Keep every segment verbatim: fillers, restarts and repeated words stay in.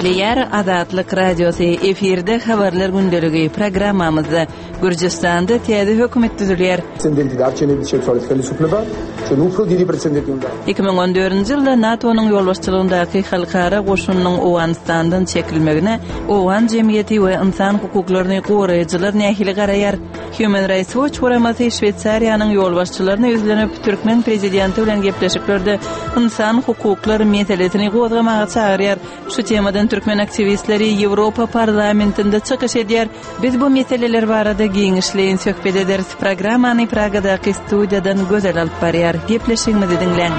Gepleýär Azatlyk Radiosy, efirde Habarlar gündeligi programmamyzda Gürjüstanda täze hökümet düzülýär. პრეზიდენტი დარჩენების შეცვალეს ხელისუფლება, ჩვენ უფრო დიდი პრეცედენტი უნდა Iki müň on dördünji ýylda NATO-nyň ýolbaşçylygyndaky halkara goşunynyň Owganystandan çekilmegine owgan jemgyýeti we ynsan hukuklaryny goraýjylar nähili garaýar? Human Rights Watch guramasy Şweýsariýanyň ýolbaşçylaryna ýüzlenip, türkmen prezidenti bilen gepleşiklerde ynsan hukuklary meselesini gozgamaga çagyrýar. Şu temadan türkmen aktiwistleri Ýewropa parlamentinde çykyş edýär. Biz bu meseleler barada giňişleýin söhbet ederis. Programmany Pragadaky studiýadan Gözel alyp barýar. Gepleşigimizi diňläň.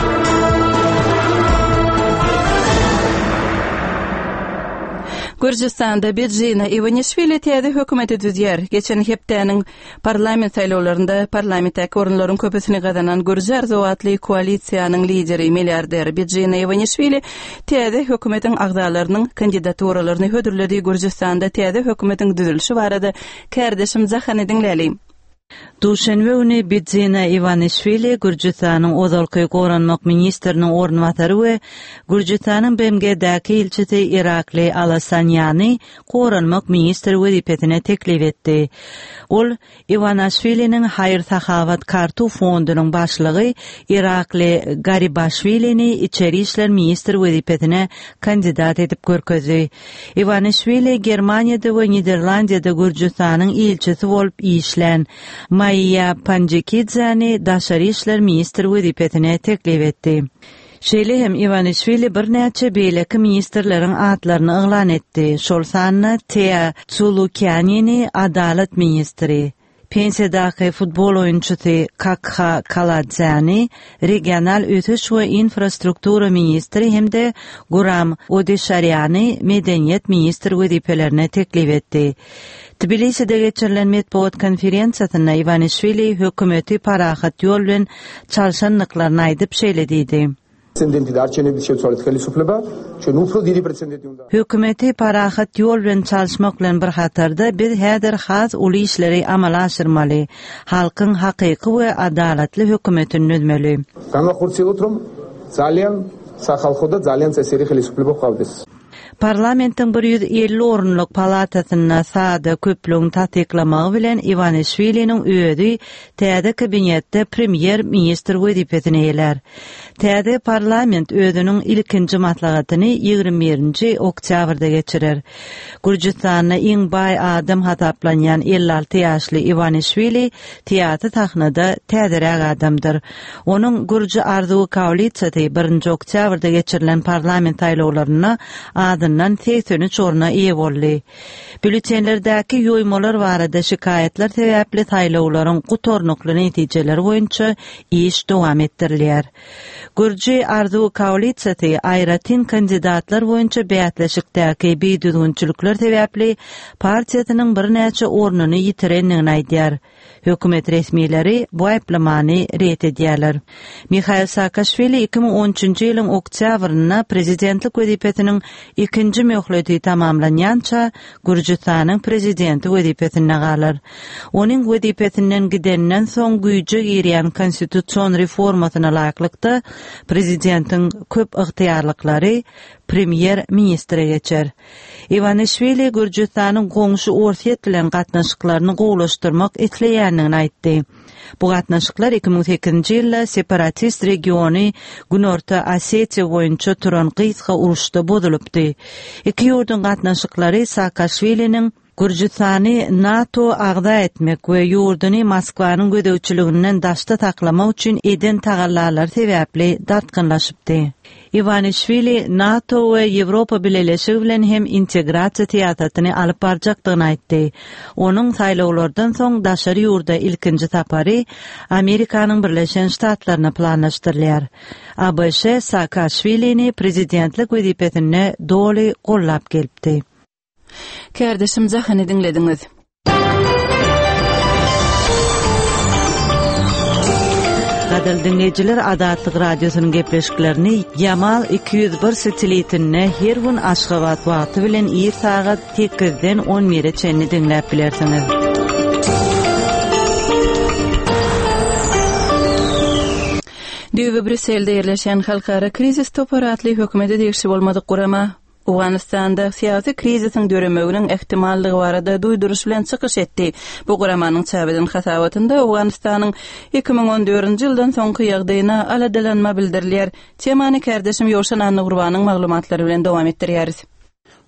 Gürjüstanda Bidzina Iwanişwili täze hökümeti düzýär. Geçen hepdäniň parlament saýlawlarynda parlamentdäki orunlaryň köpüsini gazanan Gürji Arzuwy atly koalisiýanyň lideri milliarder Bidzina Iwanişwili täze hökümetiň agzalarynyň kandidaturalaryny hödürledi. Gürjüstanda täze hökümetiň düzülişi barada kärdeşim Jahany diňläli. Duşenbe güni Bidzina Iwanişwili Gürjüstanyň ozalky goranmak ministriniň orunbasary we Gürjüstanyň B M G-däki ilçisi Irakli Alasanýany goranmak ministri wezipesine teklip etdi. Ol Iwanişwiliniň Haýyr-Sahawat Kartu fondunyň başlygy Irakli Garibaşwilini içeri işler ministri wezipesine kandidat edip görkezdi. Iwanişwili Germaniýada we Niderlandiýada Gürjüstanyň ilçisi bolup işlän Maýa Panjikidzäni daşary işler ministri wezipesine teklip etdi. Şeýle hem Iwanişwili birnäçe beýleki ministrleriň atlaryny yglan etdi. Şol sanda Tea Tsulukianini adalat ministri, pensiýadaky futbol oýunçysy Kakha Kaladzäni regional ösüş we infrastruktura ministri hem-de Guram Odeşarýany medeniýet ministri wezipelerine teklip etdi. Tbiliside geçirilen metbugat konferensiýasynda Iwanişwili hökümeti parahat ýol bilen çalşanlyklaryny aýdyp şeýle diýdi. პრეზიდენტი დარჩენების შეცვალეს ხელისუფლება, ჩვენ უფრო დიდი პრეცედენტი უნდა Hökümeti parahat ýol bilen çalşmak bilen bir hatarda biz häzir has uly işleri amala aşyrmaly, halkyň hakyky we adalatly hökümetini düzmeli. განვახორციელოთ, რომ ძალიან სახალხო და ძალიან წესიერი ხელისუფლება გვყავდეს. Parlamentiň bir ýüz elli orunlyk palatasynda sada köplügiň tassyklamagy bilen Iwanişwiliniň özi täze kabinetde premýer ministr wezipesini eýelär. Täze parlament özüniň ilkinji maslahatyny ýigrimi birinji oktýabrda geçirer. Gürjüstanda iň baý adam hasaplanýan elli alty ýaşly Iwanişwili syýasy sahnada täzeräk adamdyr. Onuň Gürji Arzuwy koalisiýasy birinji oktýabrda geçirilen parlament saýlawlarynda adyndan segsen üç orna eýe boldy. Bültenlerdäki ýoýmalar barada şikaýatlar sebäpli saýlawlaryň gutarnykly netijeleri boýunça iş dowam etdirilýär. Gürji Arzuwy koalisiýasy aýratyn kandidatlar boýunça bäsleşikdäki bidüzgünçilikler sebäpli partiýasynyň birnäçe ornuny ýitirendigini aýdýar. Hökümet resmileri bu aýyplamany ret edýärler. Mihail Saakaşwili iki müň on üçünji ýylyň oktýabrynda prezidentlik wezipesiniň ikinji möhleti tamamlanýança Gürjüstanyň prezidenti wezipesinde galar. Onuň wezipesinden gidenden soň güýje girýän konstitusion reformasyna laýyklykda prezidentiň köp ygtyýarlyklary premýer ministre geçer. Iwanişwili Gürjüstanyň goňşy Orsýet bilen gatnaşyklaryny gowulaşdyrmak isleýändigini aýtdy. Bu gatnaşyklar iki müň sekizinji ýylda separatist regiony Günorta Osetiýa boýunça turan gysga uruşda bozulypdy. Iki ýurduň gatnaşyklary Saakaşwiliniň Gürjüstany NATO agza etmek we ýurduny Moskwanyň gözegçiliginden daşda saklamak üçin eden tagallalar sebäpli dartgynlaşypdy. Iwanişwili NATO we Ýewropa Bileleşigi bilen hem integrasiýa syýasatyny alyp barjakdygyny aýtdy. Onuň saýlawlardan soň daşary ýurda ilkinji sapary Amerikanyň Birleşen Ştatlaryna planlaşdyrylýar. A B Ş Saakaşwilini prezidentlik wezipesine doly gollap gelipdi. Kärdeşim Jahany diňlediňiz. Gadal dinleýjiler Azatlyk radiosynyň gepleşiklerini Yamal iki ýüz bir satelitinde her gün Aşgabat wagty bilen ir sagat sekizden on bire çenli diňläp bilersiňiz. Düýbi Brüsselde ýerleşen halkara krizis topary atly hökümete degişli bolmadyk gurama Owganystanda syýasy krizisiň döremeginiň ähtimallygy barada duýduryş bilen çykyş etdi. Bu guramanyň çap eden hasabatynda Owganystanyň iki müň on dördünji ýyldan soňky ýagdaýyna aladalanma bildirilýär. Temany kärdeşim Ýowşan Annagurbanyň maglumatlary bilen dowam etdirýäris.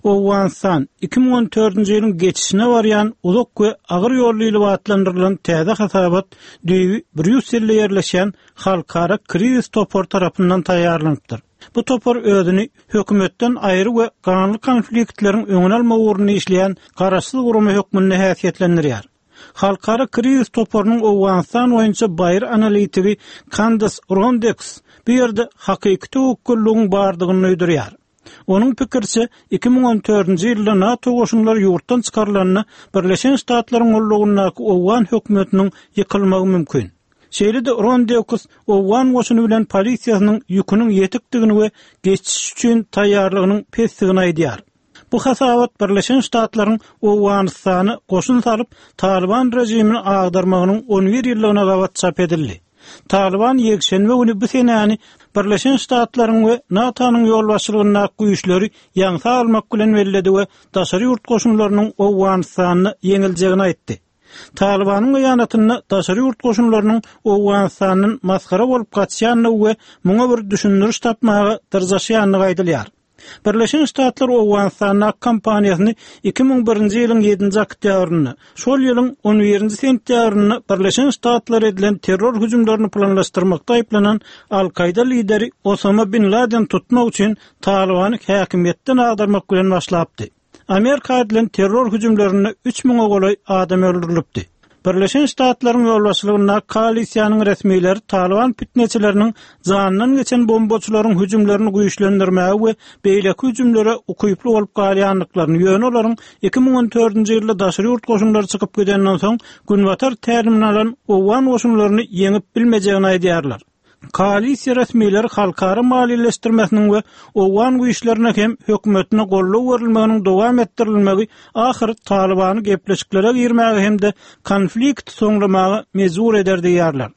Owganystan iki müň on dördünji ýylyň geçişine barýan uzak we agyr ýolly ýyly atlandyrylan täze hasabat düýbi Brýusselde ýerleşen halkara krizis topar tarapyndan taýýarlanypdyr. Bu topar özüni hökümetden aýry we ganly konfliktleriň öňüni almak ugrunda işleýän garaşsyz gurama hökmünde häsiýetlendirýär. Halkara krizis toparynyň Owganystan boýunça baýry analitigi Kandas Rondeks bu ýerde hakyky töwekgelligiň bardygyny duýdurýar. Onuň pikirçe iki müň on dördünji ýylda NATO goşunlary ýurtdan çykarylanda Birleşen Ştatlaryň gollugyndaky Owgan hökümetiniň ýykylmagy mümkin. Şeýle-de Rondeks Owgan goşuny bilen polisiýasynyň ýüküniň ýetikdigini we geçiş üçin taýýarlygynyň pesdigini aýdýar. Bu hasabat Birleşen Ştatlaryň Owganystany goşun salyp Taliban rejimini agdarmagynyň on bir ýyllygyna gabat çap edildi. Taliban ýekşenbe güni bu senäni Birleşen Ştatlaryň we NATO-nyň ýolbaşçylygyndaky güýçleri ýaňsa almak bilen belledi we daşary ýurt goşunlarynyň Owganystanda ýeňiljegini aýtdy. Talibanyň beýanatynda daşary ýurt goşunlarynyň Owganystandan masgara bolup gaçýandygy we muňa bir düşündiriş tapmaga dyrjaşýandygy aýdylýar. Birleşen Ştatlar Owganystanda kampaniýasyny iki müň birinji ýylyň ýedinji oktýabrynda, şol ýylyň on birinji sentýabrynda Birleşen Ştatlar edilen terror hüjümlerini planlaşdyrmakda aýyplanan Al-Kaýda lideri Osama bin Laden tutmak üçin Talibany häkimiýetden agdarmak bilen başlapdy. Amerika edilen terror hüjümlerinde üç müňe golaý adam öldürilipdi. Birleşen Ştatlaryň ýolbaşçylygynda koalisiýanyň resmileri Taliban fitneçileriniň jandan geçen bombaçylaryň hüjümlerini güýçlendirmäge we beýleki hüjümlere ukyply bolup galýandyklaryny, ýöne olaryň iki müň on dördünji ýylda daşary ýurt goşunlary çykyp gidenden soň Günbatar tälimini alan Owgan goşunlaryny ýeňip bilmejegini aýdýarlar. Koalisiýa resmileri halkara maliýeleşdirmesiniň we Owgan güýçlerine hem hökümetine goldaw berilmeginiň dowam etdirilmegi ahyr Talibany gepleşiklere girmäge hem-de konflikt soňlamaga mejbur eder diýýärler.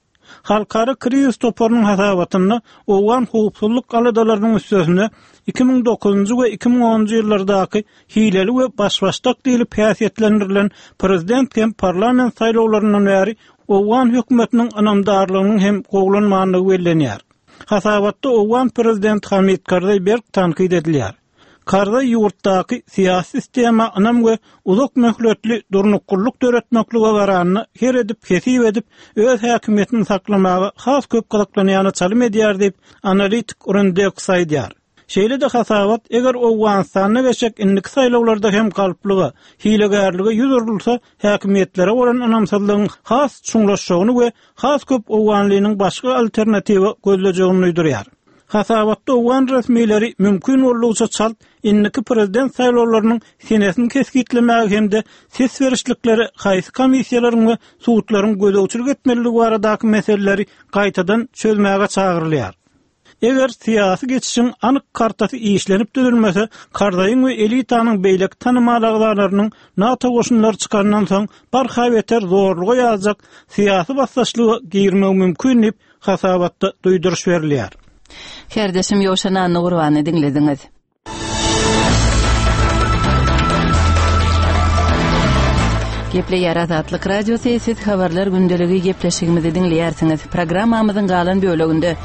Halkara krizis toparynyň hasabatynda Owgan howpsuzlyk aladalarynyň üstesine iki müň dokuzynjy we iki müň onunjy ýyllardaky hileli we başbaşdak diýlip häsiýetlendirilen prezident hem parlament saýlawlaryndan bäri Owgan hökümetiniň ynamdarlygynyň hem gowlanmandygy bellenýär. Hasabatda Owgan prezident Hamid Karzaý berk tankyt edilýär. Karzaý ýurtdaky syýasy sistema ynam we uzak möhletli durnuklylyk döretmeklige garanyna her edip hesip edip öz häkimiýetini saklamaga has köp gyzyklanýany çalym edýär diýip analitik Rondeks aýdýar. Şeýle-de hasabat eger Owganystanda geçjek indiki saýlawlarda hem galplyga, hilegärlige ýüz urulsa, häkimiýetlere bolan ynamsyzlygyň has çuňlaşjagyny we has köp Owganlynyň başga alternatiwa gözlejegini duýdurýar. Hasabatda Owgan resmileri mümkin boldugyça çalt indiki prezident saýlawlarynyň senesini kesgitlemäge hem-de ses berişlikleri haýsy komissiýalaryň we sudlaryň gözegçilik etmelidigi baradaky meseleleri gaýtadan çözmäge çagyrylýar. Eger syýasy geçişiň anyk kartasy işlenip düzülmese, Karzaýyň we elitanyň beýleki tanymal agzalarynyň NATO goşunlary çykandan soň barha beter zorluga ýazjak syýasy basdaşlyga girmegi mümkin diýip hasabatda duýduryş berilýär. Kärdeşim Ýowşan Annagurbany diňlediňiz. Gepleýär Azatlyk Radiosy, siz habarlar gündeligi gepleşigimizi diňleýärsiňiz. Programmamyzyň galan böleginde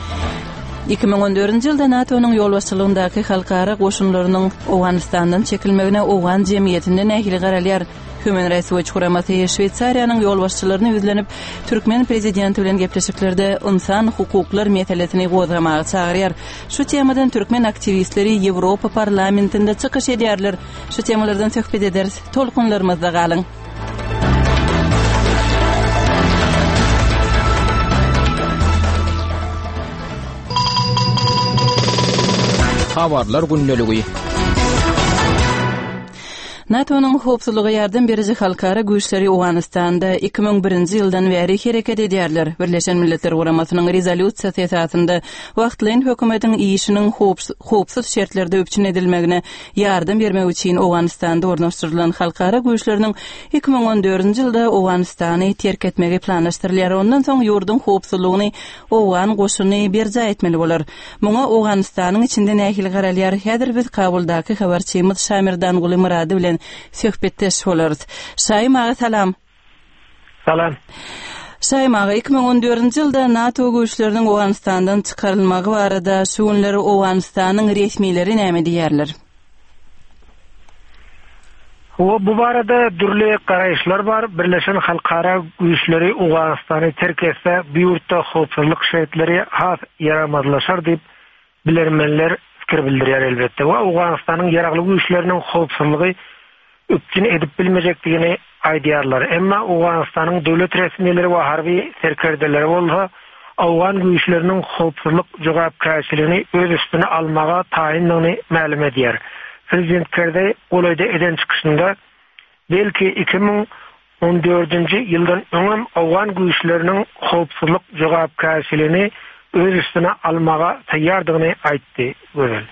iki müň on dördünji ýylda NATO-nyň ýolbaşçylygyndaky halkara goşunlarynyň Owganystandan çekilmegine Owgan jemgyýetinde nähili garalýar? Human Rights Watch guramasy Şweýsariýanyň ýolbaşçylaryna ýüzlenip, türkmen prezidenti bilen gepleşiklerde insan hukuklar meselesini gozgamaga çagyrýar. Şu temadan türkmen aktiwistleri Ýewropa parlamentinde çykyş edýärler. Şu temalardan söhbet ederiz. Tolkunlarymyzda galyň. Habarlar gündeligi. NATO-nyň howpsuzlyga ýardam beriji halkara güýçleri Owganystanda iki müň birinji ýyldan bäri hereket edýärler. Birleşen Milletler Guramasynyň rezolýusiýasy esasynda wagtlaýyn hökümetiň işiniň howpsuz şertlerde üpjün edilmegine ýardam bermek üçin Owganystanda ornaşdyrylan halkara güýçleriniň iki müň on dördünji ýylda Owganystany terk etmegi planlaşdyrylýar. Ondan soň ýurduň howpsuzlygyny owgan goşuny berjaý etmeli bolar. Muňa Owganystanyň içinde nähili garalýar? Häzir biz Kabuldaky habarçymyz Şamirdanguly Murady bilen söhbetdeş bolarys. Şaýym aga salam. Salam. Şaýym aga, iki müň on dördünji ýylda NATO güýçleriniň Owganystandan çykarylmagy barada şu günler Owganystanyň resmileri näme diýerler? O, bu barada dürli garaýyşlar bar. Birleşen halkara güýçleri Owganystany terk etse, bu ýurtda howpsuzlyk şertleri has ýaramazlaşar diýip bilermenler fikir bildirýär elbetde. We Owganystanyň ýaragly güýçleriniň howpsuzlygy üpjün edip bilmejekdigini aýdýarlar. Emma Owganystanyň döwlet resmileri we harby serkerdeleri bolsa Owgan güýçleriniň howpsuzlyk jogapkärçiligini öz üstüne almaga taýyndygyny mälim edýär. Prezident Karzai golaýda eden çykyşynda belki iki müň on dördünji ýyldan öňem Owgan güýçleriniň howpsuzlyk jogapkärçiligini öz üstüne almaga taýýardygyny aýtdy. Gözel.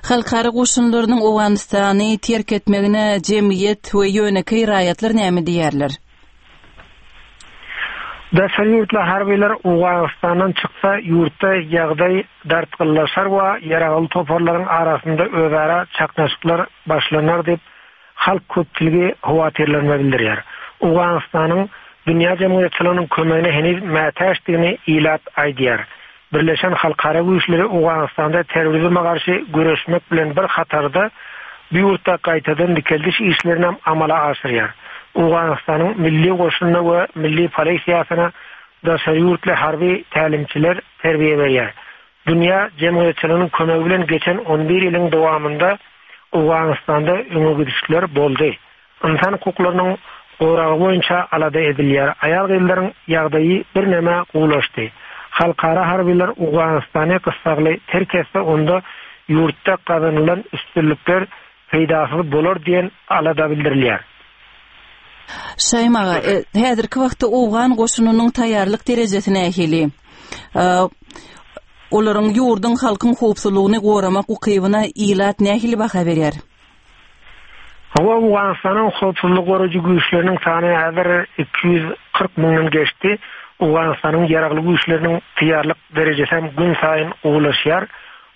Halkara goşunlarynyň Owganystany terk etmegine jemgyýet we ýönekeý raýatlar näme diýerler? Daşary ýurtly harbylar Owganystandan çyksa, ýurtda ýagdaý dartgynlaşar we ýaragly toparlaryň arasynda özara çaknyşyklar başlanar diýip halk köpçüligi howatyrlanma bildirýär. Owganystanyň dünýä jemgyýetçiliginiň kömegine heniz mätäçdigini ilat aýdýar. Birleşen halkara güýçleri Owganystanda terrorizme garşy göreşmek bilen bir hatarda bu ýurtda gaýtadan dikeldiş işlerini hem amala aşyrýar. Owganystanyň milli goşunyna we milli polisiýasyna daşary ýurtly harby tälimçiler terbiýe berýär. Dünýä jemgyýetçiliginiň kömegi bilen geçen on bir ýylyň dowamynda Owganystanda öňe gidişler boldy. Insan hukuklarynyň goragy boýunça alada edilýär. Aýal-gyzlaryň ýagdaýy birneme gowulaşdy. Halkara harbylar Owganystany gyssagly terk etse, onda ýurtda gazanylan üstünlikler peýdasyz bolar diýen alada bildirilýär. Şaýym aga, e, häzirki wagtda Owgan goşunynyň taýýarlyk derejesi nähili? E, olaryň ýurduň halkyň howpsuzlygyny goramak ukybyna ilat nähili baha berýär? Hawa, Owganystanyň howpsuzlyk goraýjy güýçleriniň sany häzir iki ýüz kyrk müňden geçdi. Owganystanyň ýaragly güýçleriniň taýýarlyk derejesi hem gün saýyn gowulaşýar.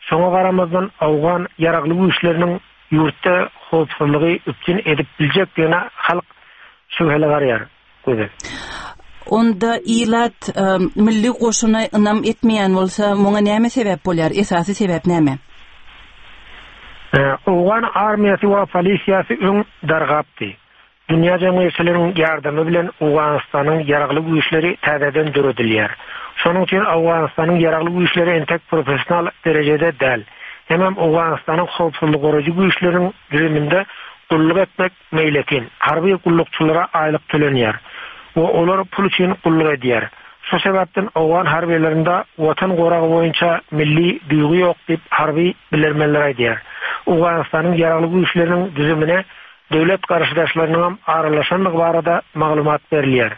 Şoňa garamazdan Owgan ýaragly güýçleriniň ýurtda howpsuzlygy üpjün edip biljekdigine halk şübheli garaýar. Gözel. Onda ilat, e, milli goşuna ynam etmeýän bolsa, muňa näme sebäp bolýar? Esasy sebäp näme? E, Owgan armiýasy we polisiýasy öň dargapdy. Dünýä jemgyýetçiliginiň ýardamy bilen Owganystanyň ýaragly güýçleri täzeden döredilýär. Şonuň üçin Owganystanyň ýaragly güýçleri entek professional derejede däl. Hemem Owganystanyň howpsuzlyk goraýjy güýçleriniň düzüminde gulluk etmek meýletin, harby gullukçylara aýlyk tölenýär we olar pul üçin gulluk edýär. Şu sebäpden Owgan harbylarynda watan goragy boýunça milli duýgy ýok diýip harby bilermenler aýdýar. Owganystanyň ýaragly güýçleriniň düzümine döwlet garşydaşlarynyň hem aralaşandygy barada maglumat berilýär.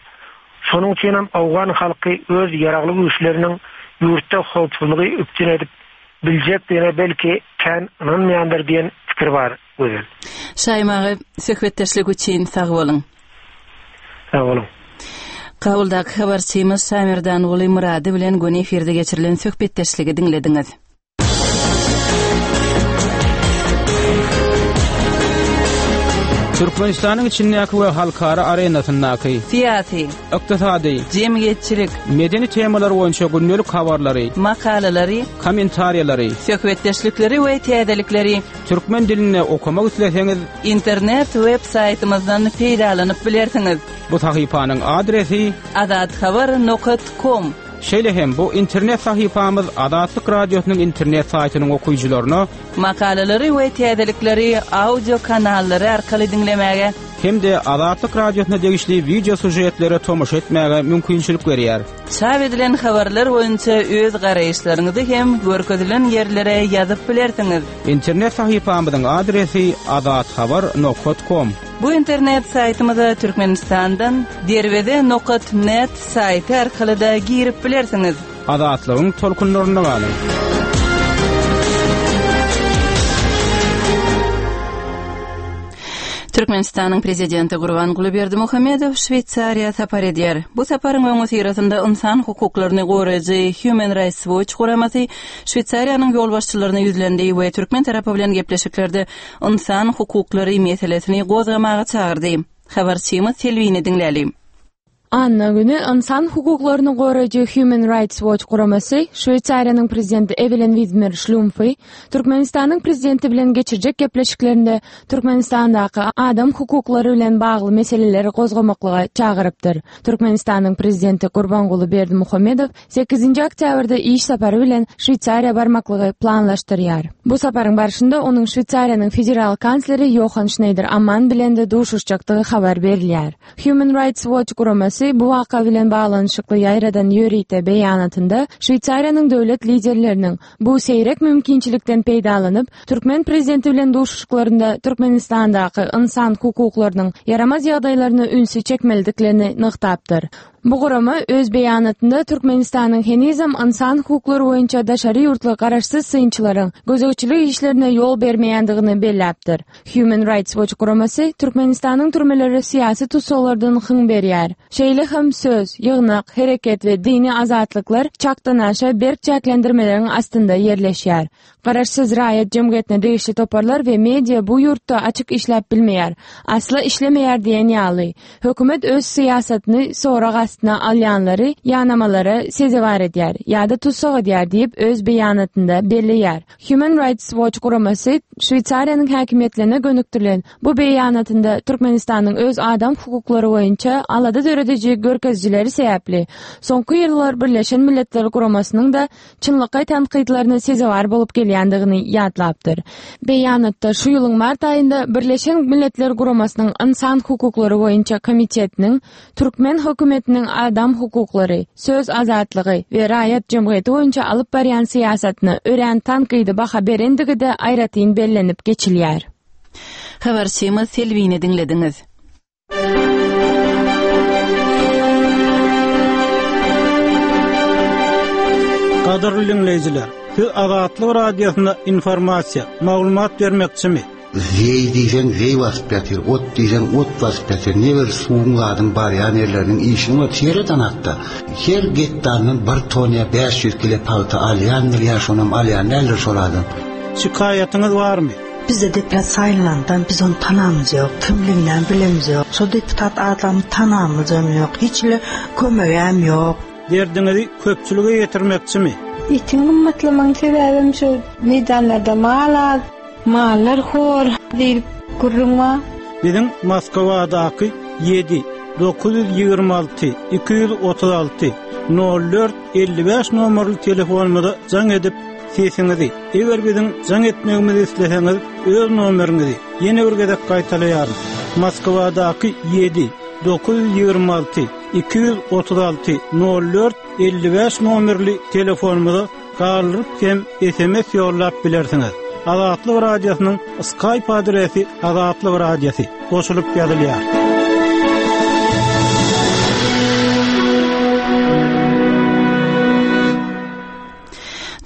Şonuň üçin hem Owgan halky öz ýaragly güýçleriniň ýurtda howpsuzlygy üpjün edip biljekdigine belki kän ynanmaýandyr diýen fikir bar. Gözel. Şaýym aga, söhbetdeşlik üçin sag boluň. Sag boluň. Kabuldaky habarçymyz Şamirdanguly Murady bilen göni efirde geçirilen söhbetdeşligi diňlediňiz. Türkmenistanyň içindäki we halkara arenasyndaky syýasy, ykdysady, jemgyýetçilik, medeni temalar boýunça gündelik habarlary, makalalary, kommentariýalary, söhbetdeşlikleri we täzelikleri türkmen dilinde okamak isleseňiz internet web saýtymyzdan peýdalanyp bilersiňiz. Bu sahypanyň adresi azathabar nokta com. Şeýle hem bu internet sahypamyz Azatlyk Radiosynyň internet saýtynyň okyjylaryna makalalary we täzelikleri audio kanallary arkaly diňlemäge Hem-de Azatlyk Radiosyna degişli wideo sujetlere tomaşa etmäge mümkinçilik berýär. Çap edilen habarlar boýunça öz garaýyşlaryňyzy hem görkezilen ýerlere ýazyp bilersiňiz. Internet sahypamyzyň adresi azathabar nokta com. Bu internet saýtymyza Türkmenistandan derweze nokta net saýty arkaly da girip bilersiňiz. Azatlygyň tolkunlarynda galyň. Türkmenistanyň prezidenti Gurbanguly Berdimuhamedow Şweýsariýa sapar edýär. Bu saparyň öňüsyrasynda insan hukuklaryny goraýjy Human Rights Watch guramasy Şweýsariýanyň ýolbaşçylaryna ýüzlendi we türkmen tarapy bilen gepleşiklerde insan hukuklary meselesini gozgamaga çagyrdy. Habarçymyz Selvini diňläli. Anna günü insan hukuklaryny goraýjy Human Rights Watch guramasy Şweýsariýanyň prezidenti Evelyn Widmer Şlumfy Türkmenistanyň prezidenti bilen geçirjek gepleşiklerinde Türkmenistandaky adam hukuklary bilen bagly meseleleri gozgamaklyga çagyrypdyr. Türkmenistanyň prezidenti Gurbanguly Berdimuhamedow sekizinji oktýabrda iş sapary bilen Şweýsariýa barmaklygy planlaşdyrýar. Bu saparyň barşynda onuň Şweýsariýanyň federal kansleri Johan Schneider Amman bilen de duşuşjakdygy habar berilýär. Human Rights Watch guramasy bu waka bilen baglanyşykly ýaýradan ýörite beýanatynda Şweýsariýanyň döwlet liderleriniň bu seýrek mümkinçilikden peýdalanyp, türkmen prezidenti bilen duşuşyklarynda Türkmenistandaky insan hukuklarynyň ýaramaz ýagdaýlaryna ünsi çekmelidiklerini nygtapdyr. Bu gurama öz beýanatynda Türkmenistanyň henizem insan hukuklary boýunça daşary ýurtly garaşsyz synçylaryň gözegçilik işlerine ýol bermeýändigini belläpdir. Human Rights Watch guramasy Türkmenistanyň türmeleri syýasy tussaglardan hyň berýär. Şeýle hem söz, ýygnak, hereket we dini azatlyklar çakdan aşa berk çäklendirmeleriň astynda ýerleşýär. Garaşsyz raýat jemgyýetine degişli toparlar we media bu ýurtda açyk işläp bilmeýär, asla işlemeýär diýen ýaly. Hökümet öz syýasatyny sorag astyna alýanlary ýanamalara sezewar edýär ýa-da tussag edýär diýip öz beýanatynda belleýär. Human Rights Watch guramasy Şweýsariýanyň häkimiýetlerine gönükdirilen bu beýanatynda Türkmenistanyň öz adam hukuklary boýunça alada dörediji görkezijileri sebäpli soňky ýyllar Birleşen Milletler Guramasynyň da çynlakaý tankytlaryna sezewar bolup gelýändigini ýatlapdyr. Beýanatda şu ýylyň mart aýynda Birleşen Milletler Guramasynyň insan hukuklary boýunça komitetiniň türkmen hökümetiniň adam hukuklary, söz azatlygy we raýat jemgyýeti boýunça alyp barýan syýasatyna örän tankydy baha berendigi de aýratyn bellenip geçilýär. Habarçymyz Selvini diňlediňiz. Gadyrly dinleýjiler, siz Azatlyk Radiosyna informasiýa, maglumat bermekçimi? Zeý diýseň zeý basyp ýatyr, ot diýseň ot basyp ýatyr. Ne bir suwuň zadyň barýan ýerleriniň işini bar, sereden hatda. Her gektardan bir ton ýa bäş ýüz kilo pagta alýandyr ýa şonam alýan däldir şol adam. Şikaýatyňyz barmy? Bizde deputat saýlandan biz onu tanamyz ýok, kimliginden bilemiz ýok. Şo deputat adamy tanamyz hem ýok, hiç bile kömegem ýok. Derdiňizi köpçülige ýetirmekçimi? Etiň gymmatlamagyň sebäbim şu meýdanlarda mal az, mallar hor diýip gürrüň bar. Biziň Moskwadaky ýedi dokuz ýüz ýigrimi alty iki ýüz otuz alty nol dört elli bäş nomerli telefonymyza jaň edip sesiňizi, eger biziň jaň etmegimizi isleseňiz, öz nomeriňizi ýene bir gezek gaýtalaýaryn. Moskwadaky ýedi dokuz ýüz ýigrimi alty iki ýüz otuz alty nol dört elli bäş nomerli telefonymyza galdyryp hem S M S ýollap bilersiňiz. Azatlyk Radiosynyň Skype adresi Azatlyk Radiosy goşulyp ýazylýar.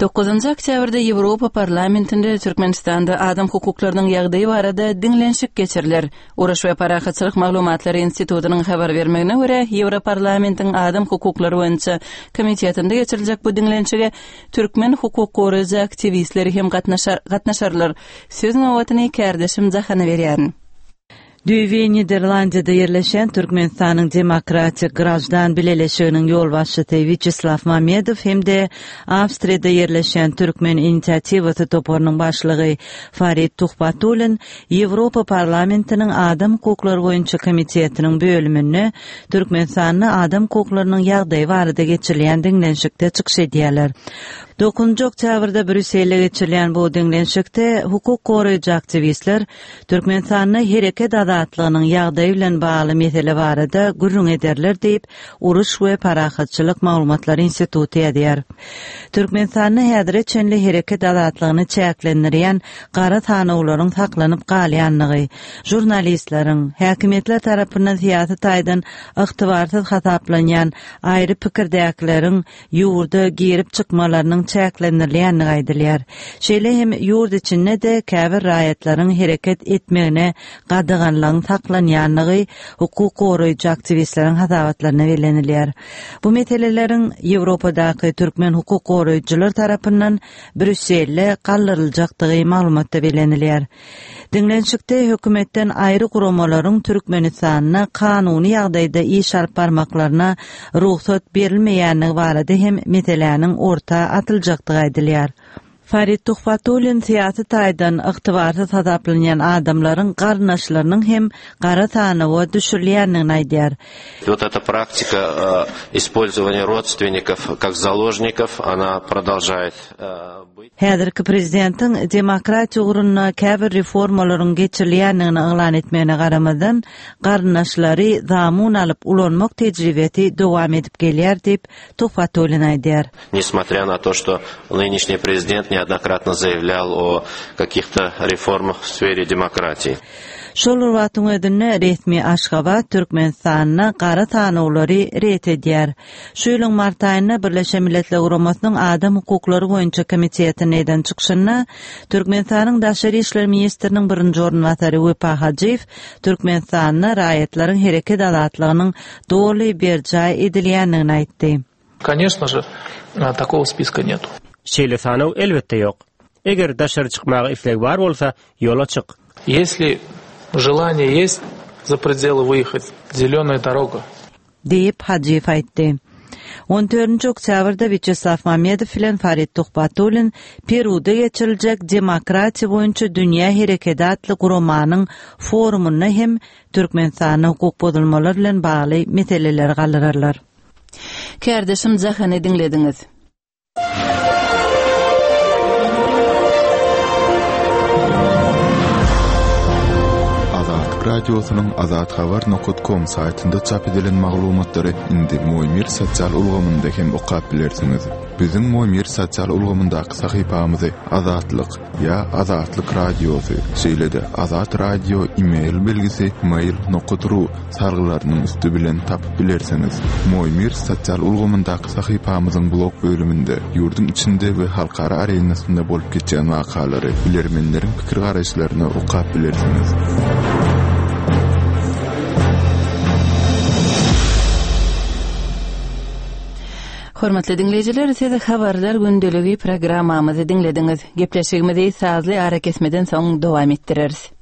Dokuzunjy oktýabrda Ýewropa Parlamentinde Türkmenistanda adam hukuklarynyň ýagdaýy barada diňlenişik geçiriler. Uruş we Parahatçylyk Maglumatlary Institutynyň habar bermegine görä, Ýewroparlamentiň adam hukuklary boýunça komitetinde geçiriljek bu diňlenişige türkmen hukuk goraýjy aktiwistleri hem gatnaşar, gatnaşarlar. Söz nobatyny kärdeşim Jahana berýärin. Düýbi Niderlandiýada ýerleşen Türkmenistanyň Demokratik Grajdan Bileleşiginiň ýolbaşçysy Wiçeslaw Mamedow hem-de Awstriýada ýerleşen Türkmen inisiatiwasy toparynyň başlygy Farid Tuhbatulin Ýewropa Parlamentiniň Adam hukuklary boýunça komitetiniň bölüminde Türkmenistanda adam hukuklarynyň ýagdaýy barada geçirilýän diňlenişikde çykyş edýärler. Dokuzynjy oktýabrda Brýusselde geçirilen bu diňlenişikde hukuk goraýjy aktiwistler Türkmenistanda hereket azatlygynyň ýagdaýy bilen bagly mesele barada gürrüň ederler diýip, Uruş we parahatçylyk maglumatlary instituty ýazýar. Türkmenistanda häzire çenli hereket azatlygyny çäklendirýän gara sanawlaryň saklanyp galýandygy, žurnalistleriň, häkimiýetler tarapyndan syýasy taýdan ygtybarsyz hasaplanýan aýry pikirdäkileriň ýurda girip-çykmalarynyň çäklendirilýändigi aýdylýar. Şeýle hem ýurt içinde-de käbir raýatlaryň hereket etmegine gadaganlygyň saklanýandygy hukuk goraýjy aktiwistleriň hasabatlarynda bellenilýär. Bu meseleleriň Ýewropadaky türkmen hukuk goraýjylar tarapyndan Brýusselde galdyryljakdygy maglumatda bellenilýär. Diňlenişikde hökümetden aýry guramalaryň Türkmenistanda kanuny ýagdaýda iş alyp barmaklaryna rugsat berilmeýändigi barada hem meseläniň orta atyljakdygy aýdylýar. Farid Tuhbatullin syýasy taýdan ygtybarsyz hasaplanýan adamlaryň garyndaşlarynyň hem gara sanawa düşürilýändigini aýdýar. Вот эта практика использования родственников как заложников, она продолжает быть. Häzirki prezidentiň demokratiýa ugrunda käbir reformalaryň geçirilýändigini yglan etmegine garamazdan, garyndaşlary zamun alyp ulanmak tejribesi dowam edip gelýär diýip Tuhbatullin aýdýar. Несмотря на то, что нынешний президент неоднократно заявлял о каких-то реформах в сфере демократии. Şol bir wagtyň özünde resmi Aşgabat Türkmenistanda gara sanawlary ret edýär. Şu ýylyň mart aýynda Birleşen Milletler Guramasynyň Adam hukuklary boýunça komitetine eden çykyşynda Türkmenistanyň Daşary işler ministriniň birinji orunbasary Wepa Hajyýew Türkmenistanda raýatlaryň hereket azatlygynyň doly berjaý edilýändigini aýtdy. Конечно же, такого списка нету. Şeýle sanaw elbetde ýok. Eger daşary çykmaga isleg bar bolsa, ýola çyk. Если желание есть за пределы выехать, зеленая дорога. Diýip Hajyýew aýtdy. On dördünji oktýabrda Wýaçeslaw Mamedow bilen Farid Tuhbatullin Peruda geçiriljek Demokratiýa boýunça dünýä hereketi atly guramanyň forumynda hem Türkmenistanda hukuk bozulmalary bilen bagly meseleleri galdyrarlar. Kärdeşim Jahany diňlediňiz. Azatlyk Radiosynyň azathabar nokat com saýtynda çap edilen maglumatlary indi Moýmir sosial ulgamynda hem okap bilersiňiz. Biziň Moýmir sosial ulgamyndaky sahypamyzy Azatlyk ýa Azatlyk Radiosy, şeýle-de Azat Radio e-mail belgisi mail nokat ru sargylarynyň üsti bilen tapyp bilersiňiz. Moýmir sosial ulgamyndaky sahypamyzyň blog bölüminde ýurduň içinde we halkara arenasynda bolup geçýän wakalary, bilermenleriň pikir garaýyşlaryny okap bilersiňiz. Hormatly diňleýjiler, siz habarlar gündeligi programmamyzy diňlediňiz. Gepleşigimizi sazly arakesmeden soň dowam etdireris.